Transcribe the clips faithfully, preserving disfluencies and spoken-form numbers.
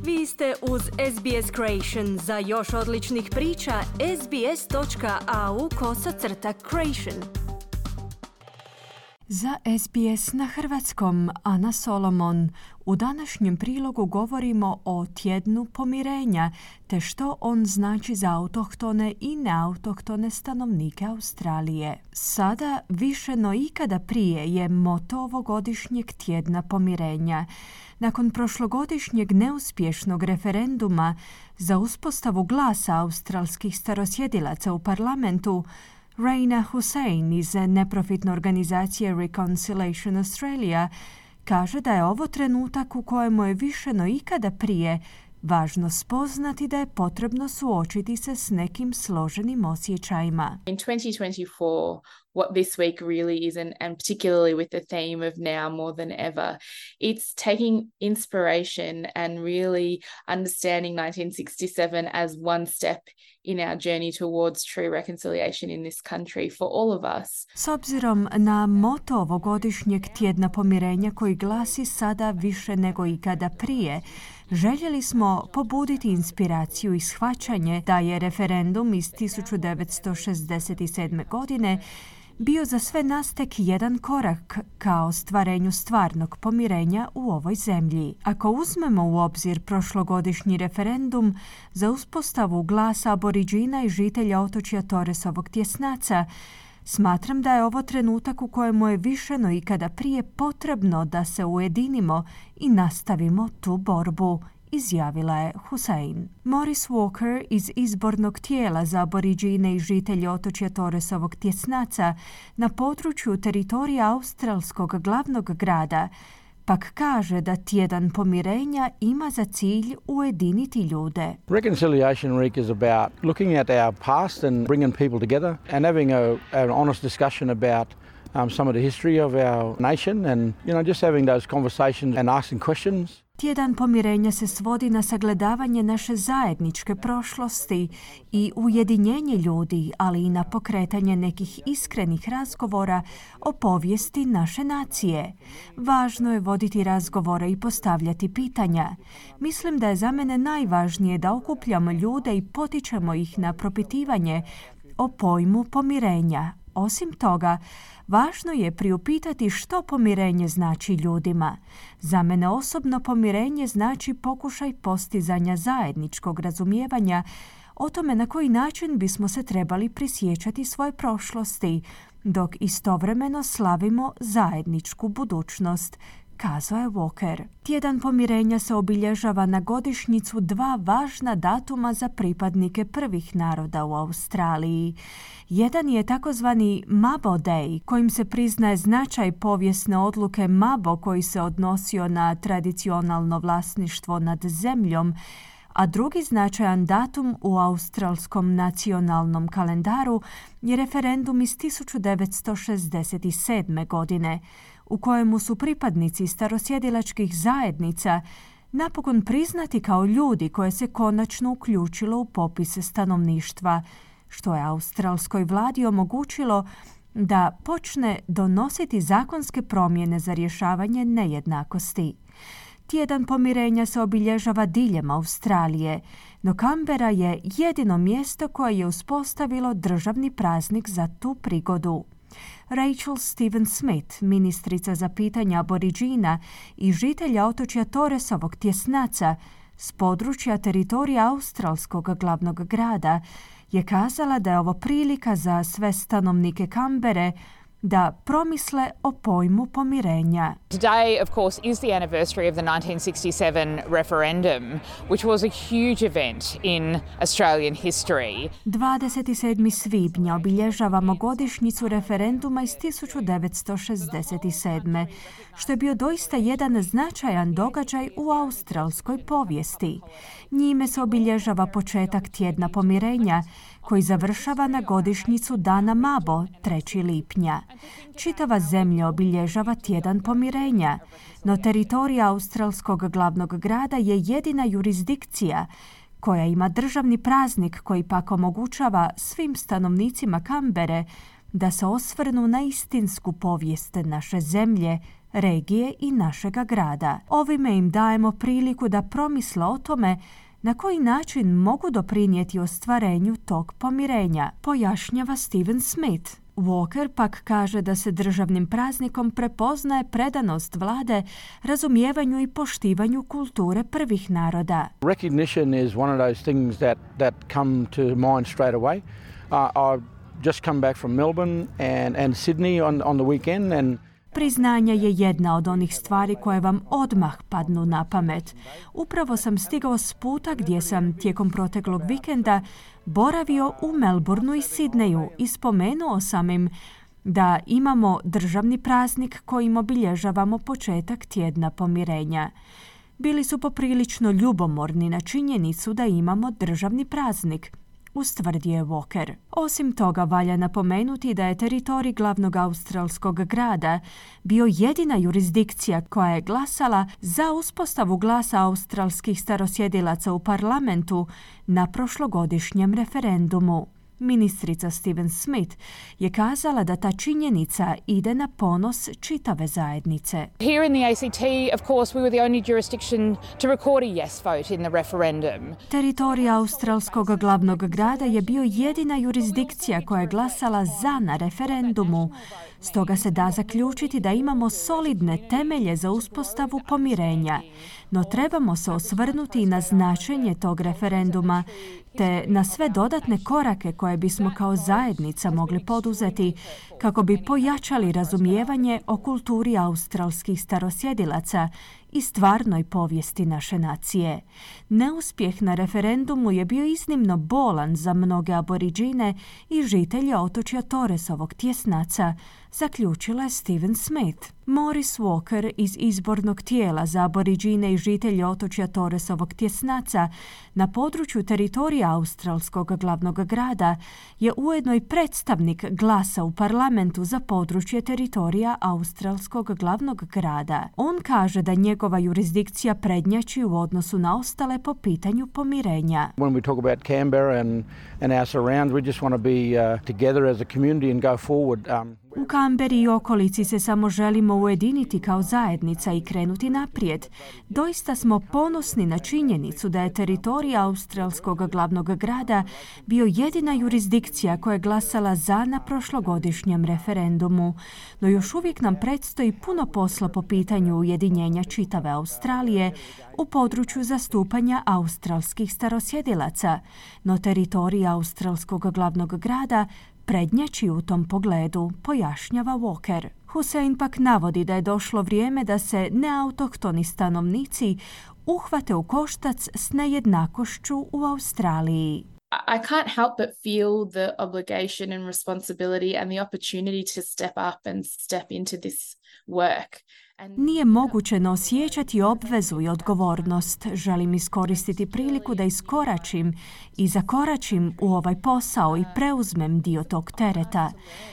Vi ste uz S B S Creation. Za još odličnih priča, sbs.au kosacrta creation. Za S B S na hrvatskom, Ana Solomon. U današnjem prilogu govorimo o tjednu pomirenja, te što on znači za autohtone i neautohtone stanovnike Australije. Sada, više no ikada prije, je moto ovogodišnjeg tjedna pomirenja. Nakon prošlogodišnjeg neuspješnog referenduma za uspostavu glasa australskih starosjedilaca u parlamentu, Raina Hussein iz neprofitne organizacije Reconciliation Australia kaže da je ovo trenutak u kojemu je više no ikada prije važno spoznati da je potrebno suočiti se s nekim složenim osjećajima. In twenty twenty-four, what this week really is, and, and particularly with the theme of now more than ever, it's taking inspiration and really understanding nineteen sixty-seven as one step in our journey towards true reconciliation in this country for all of us. S obzirom na moto ovogodišnjeg tjedna pomirenja koji glasi sada više nego ikada prije, željeli smo pobuditi inspiraciju i shvaćanje da je referendum iz tisuću devetsto šezdeset sedme. godine bio za sve nas tek jedan korak ka ostvarenju stvarnog pomirenja u ovoj zemlji. Ako uzmemo u obzir prošlogodišnji referendum za uspostavu glasa aboriđina i žitelja otočja Torresovog tjesnaca, smatram da je ovo trenutak u kojemu je više no ikada prije potrebno da se ujedinimo i nastavimo tu borbu, izjavila je Hussein. Maurice Walker iz izbornog tijela za aboriđine i žitelje otočja Torresovog tjesnaca na području teritorija australskog glavnog grada pak kaže da tjedan pomirenja ima za cilj ujediniti ljude. Reconciliation Week is about looking at our past and bringing people together and having a, an honest discussion about um, some of the history of our nation and, you know, just having those conversations and asking questions. Tjedan pomirenja se svodi na sagledavanje naše zajedničke prošlosti i ujedinjenje ljudi, ali i na pokretanje nekih iskrenih razgovora o povijesti naše nacije. Važno je voditi razgovore i postavljati pitanja. Mislim da je za mene najvažnije da okupljamo ljude i potičemo ih na propitivanje o pojmu pomirenja. Osim toga, važno je priupitati što pomirenje znači ljudima. Za mene osobno pomirenje znači pokušaj postizanja zajedničkog razumijevanja o tome na koji način bismo se trebali prisjećati svoje prošlosti, dok istovremeno slavimo zajedničku budućnost, kazao je Walker. Tjedan pomirenja se obilježava na godišnjicu dva važna datuma za pripadnike prvih naroda u Australiji. Jedan je takozvani Mabo Day, kojim se priznaje značaj povijesne odluke Mabo koji se odnosio na tradicionalno vlasništvo nad zemljom, a drugi značajan datum u australskom nacionalnom kalendaru je referendum iz tisuću devetsto šezdeset sedme. godine, u kojemu su pripadnici starosjedilačkih zajednica napokon priznati kao ljudi koje se konačno uključilo u popise stanovništva, što je australskoj vladi omogućilo da počne donositi zakonske promjene za rješavanje nejednakosti. Tjedan pomirenja se obilježava diljem Australije, no Canberra je jedino mjesto koje je uspostavilo državni praznik za tu prigodu. Rachel Stevens-Smith, ministrica za pitanja aboriđina i žitelja otočja Torresovog tjesnaca s područja teritorija australskog glavnog grada, je kazala da je ovo prilika za sve stanovnike Canberre da promisle o pojmu pomirenja. Today, of course, is the anniversary of the nineteen sixty-seven referendum, which was a huge event in Australian history. dvadeset sedmog svibnja obilježavamo godišnjicu referenduma iz tisuću devetsto šezdeset sedme. što je bio doista jedan značajan događaj u australskoj povijesti. Njime se obilježava početak tjedna pomirenja, koji završava na godišnjicu Dana Mabo, trećeg lipnja. Čitava zemlja obilježava tjedan pomirenja, no teritorija australskog glavnog grada je jedina jurisdikcija koja ima državni praznik koji pak omogućava svim stanovnicima Canberre da se osvrnu na istinsku povijest naše zemlje, regije i našega grada. Ovime im dajemo priliku da promisle o tome na koji način mogu doprinijeti ostvarenju tog pomirenja, pojašnjava Steven Smith. Walker pak kaže da se državnim praznikom prepoznaje predanost vlade razumijevanju i poštivanju kulture prvih naroda. Recognition is one of those things that, that come to mind straight away. Uh, I've just come back from Melbourne and, and Sydney on, on the weekend and Priznanje je jedna od onih stvari koje vam odmah padnu na pamet. Upravo sam stigao s puta gdje sam tijekom proteklog vikenda boravio u Melbourneu i Sidneju i spomenuo sam im da imamo državni praznik kojim obilježavamo početak tjedna pomirenja. Bili su poprilično ljubomorni na činjenicu da imamo državni praznik, ustvrdio je Walker. Osim toga, valja napomenuti da je teritorij glavnog australskog grada bio jedina jurisdikcija koja je glasala za uspostavu glasa australskih starosjedilaca u parlamentu na prošlogodišnjem referendumu. Ministrica Steven Smith je kazala da ta činjenica ide na ponos čitave zajednice. Here in the A C T, of course, we were the only jurisdiction to record a yes vote in the referendum. Teritorij australskog glavnog grada je bio jedina jurisdikcija koja je glasala za na referendumu. Stoga se da zaključiti da imamo solidne temelje za uspostavu pomirenja. No trebamo se osvrnuti na značenje tog referenduma te na sve dodatne korake koje bismo kao zajednica mogli poduzeti kako bi pojačali razumijevanje o kulturi australskih starosjedilaca i stvarnoj povijesti naše nacije. Neuspjeh na referendumu je bio iznimno bolan za mnoge aboriđine i žitelje otočja Torresovog tjesnaca, zaključila je Steven Smith. Maurice Walker iz izbornog tijela za aboriđine i žitelje otočja Torresovog tjesnaca na području teritorija australskog glavnog grada je ujedno i predstavnik glasa u parlamentu za područje teritorija australskog glavnog grada. On kaže da njegova jurisdikcija prednjači u odnosu na ostale po pitanju pomirenja. When we talk about Canberra and, and our surrounds, we just want to be uh, together as a community and go forward. Um, U Kamberi i okolici se samo želimo ujediniti kao zajednica i krenuti naprijed. Doista smo ponosni na činjenicu da je teritorij australskog glavnog grada bio jedina jurisdikcija koja je glasala za na prošlogodišnjem referendumu. No još uvijek nam predstoji puno posla po pitanju ujedinjenja čitave Australije u području zastupanja australskih starosjedilaca. No teritorij australskog glavnog grada prednjači u tom pogledu, pojašnjava Walker. Hussein pak navodi da je došlo vrijeme da se neautohtoni stanovnici uhvate u koštac s nejednakošću u Australiji. I can't help but feel the obligation and responsibility and the opportunity to step up and step into this work. Nije moguće ne osjećati obvezu i odgovornost. Želim iskoristiti priliku da iskoračim i zakoračim u ovaj posao i preuzmem dio tog tereta.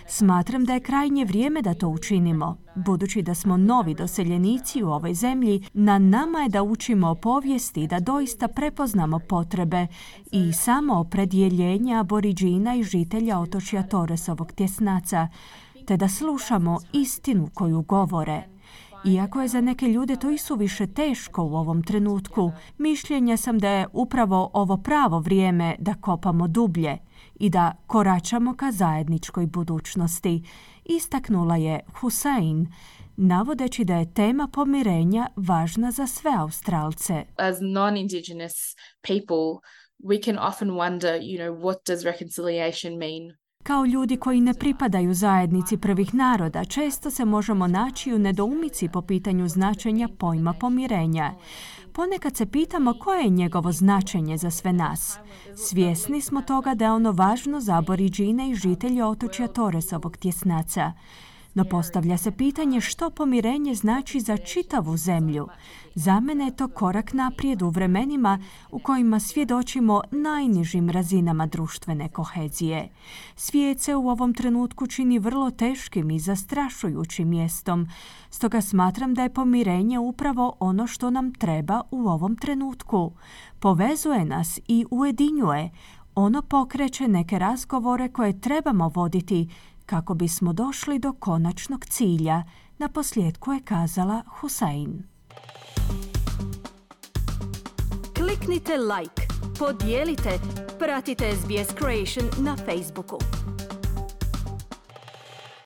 Smatram da je krajnje vrijeme da to učinimo. Budući da smo novi doseljenici u ovoj zemlji, na nama je da učimo o povijesti i da doista prepoznamo potrebe i samo opredjeljenje aboriđina i žitelja otočja Torresovog tjesnaca, te da slušamo istinu koju govore. Iako je za neke ljude to isuviše teško u ovom trenutku, mišljenja sam da je upravo ovo pravo vrijeme da kopamo dublje i da koračamo ka zajedničkoj budućnosti, istaknula je Hussein, navodeći da je tema pomirenja važna za sve Australce. As non-Indigenous people, we can often wonder, you know, what does reconciliation mean? Kao ljudi koji ne pripadaju zajednici prvih naroda, često se možemo naći u nedoumici po pitanju značenja pojma pomirenja. Ponekad se pitamo koje je njegovo značenje za sve nas. Svjesni smo toga da je ono važno za aboriđine i žitelje otočja Torresovog tjesnaca. No postavlja se pitanje što pomirenje znači za čitavu zemlju. Za mene je to korak naprijed u vremenima u kojima svjedočimo najnižim razinama društvene kohezije. Svijet se u ovom trenutku čini vrlo teškim i zastrašujućim mjestom. Stoga smatram da je pomirenje upravo ono što nam treba u ovom trenutku. Povezuje nas i ujedinjuje. Ono pokreće neke razgovore koje trebamo voditi kako bismo došli do konačnog cilja, Na posljedku je kazala Hussein. Kliknite like, podijelite, pratite S B S Creation na Facebooku.